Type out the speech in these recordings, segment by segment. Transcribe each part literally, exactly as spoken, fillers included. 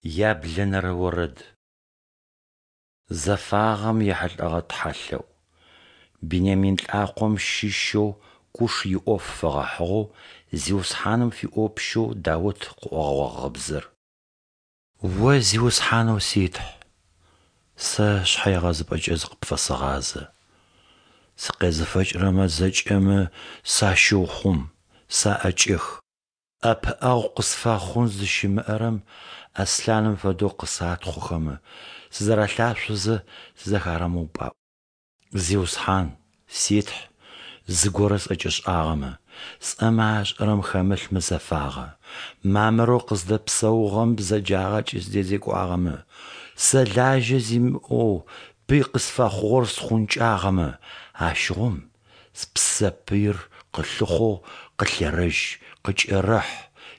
Яблэнэрэ орэд. Зэфагъэм ехьылӏэгъэ тхьэлъэӏу. Бинямин лӏакъом щыщэу Куш иӏоф фэгъэхьыгъэу Зиусхьаным фиӏопщэу Даут къыӏогъэ гъыбзэр. О Зиусхьанэу си Тхь, сэ шъхьэегъэзыпӏэкӏэ зыкъыпфэсэгъазэ. Сыкъезыфэкӏырэмэ зэкӏэмэ сащыухъум, саӏэкӏэх. ӏэпыӏэгъу къысфэхъун зыщымыӏэрэм аслъаным фэдэу къысатхъохэмэ, сызэралъашъозэ сызэхарэмыупӏаӏу. Зиусхьан, си Тхь, зыгорэ сӏэкӏэшӏагъэмэ, сӏэмэ ашӏэрэм хэмылъ мызэфагъэ, мамырэу къыздэпсэугъэм бзэджагъэкӏэ сыдэзекӏуагъэмэ, сэ лажьэ зимыӏэу пый къысфэхъугъэр схъункӏагъэмэ, ащыгъум спсэ пыир къылъыхъоу къылъерэжь, къыкӏерэхь,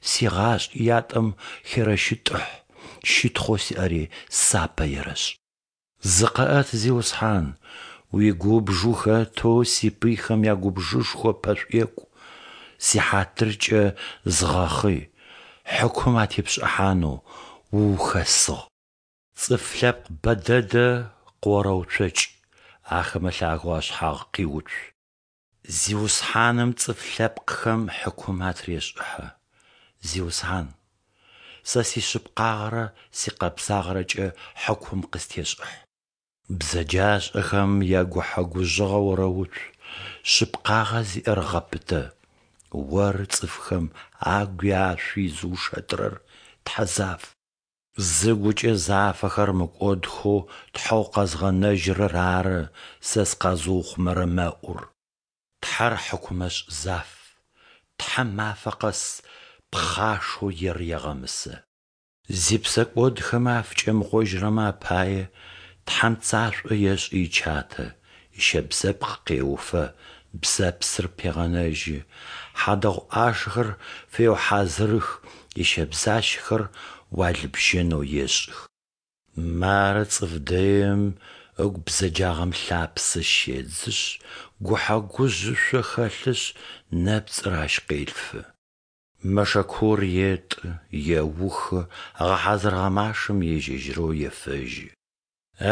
сигъашӏи ятӏэм херэщытӏыхь, щытхъоу сиӏэри сапэ ерэшӏ. Зыкъэӏэт, Зиусхьан, уигубж ухэтэу сипыйхэм ягубжышхо пэшӏуекӏу, сихьатыркӏэ зыгъэхъый, хьыкум атепшӏыхьанэу уухэсыгъ. Цӏыф лъэпкъ бэ дэдэ къыорэуцокӏ, ахэмэ лъагэу ашъхьагъ къиуцу. Зиусхьаным цӏыф лъэпкъхэм хьыкум атырешӏыхьэ. Зиусхьан, сэ сишъыпкъагъэрэ сикъэбзагъэрэкӏэ хьыкум къыстешӏыхь. Бзэджашӏэхэм ягухьэ-гужъыгъэ орэуцу, шъыпкъагъэ зиӏэр гъэпытэ. Оры цӏыфхэм агуи ашъуи зыушэтырэр, Тхьэ заф. Зыгукӏэ зафэхэр мыкӏодхэу Тхьэу къэзгъэнэжьырэр ары сэ сыкъэзыухъумэрэ мэӏур. Тхьэр хьыкумэшӏ заф, Тхьэм мафэ къэс пхъашэу ер егъэмысэ. Зипсэкӏодхэмэ афыкӏэмыгъожьырэмэ апае Тхьэм пцашӏо ешӏы ичатэ, ищэбзэпкъ къеуфэ, бзэпсыр пегъэнэжьы, хьадэгъу ӏашэхэр феухьазырых, ищэбзащэхэр уалыбжьэнэу ешӏых. Мары цӏыф дэим ыгу бзэджагъэм лъапсэ щедзышъ, гухьэ-гужъ ышъо хэлъышъ, нэпцӏыр ащ къелъфы. Мэшэкур етӏы, еухы, ыгъэхьазырыгъэ машэм ежь-ежьырэу ефэжьы.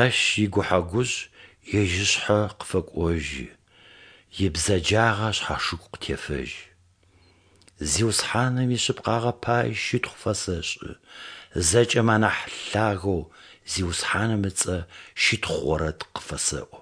Ащ игухьэ-гужъ ежь ышъхьэ къыфэкӏожьы, ибзэджагъэ ышъхьашыгу къытефэжьы. Зиусхьаным ишъыпкъагъэ пае щытхъу фэсэшӏы, зэкӏэмэ анахь Лъагэу Зиусхьаным ыцӏэ щытхъу орэд къыфэсэӏо.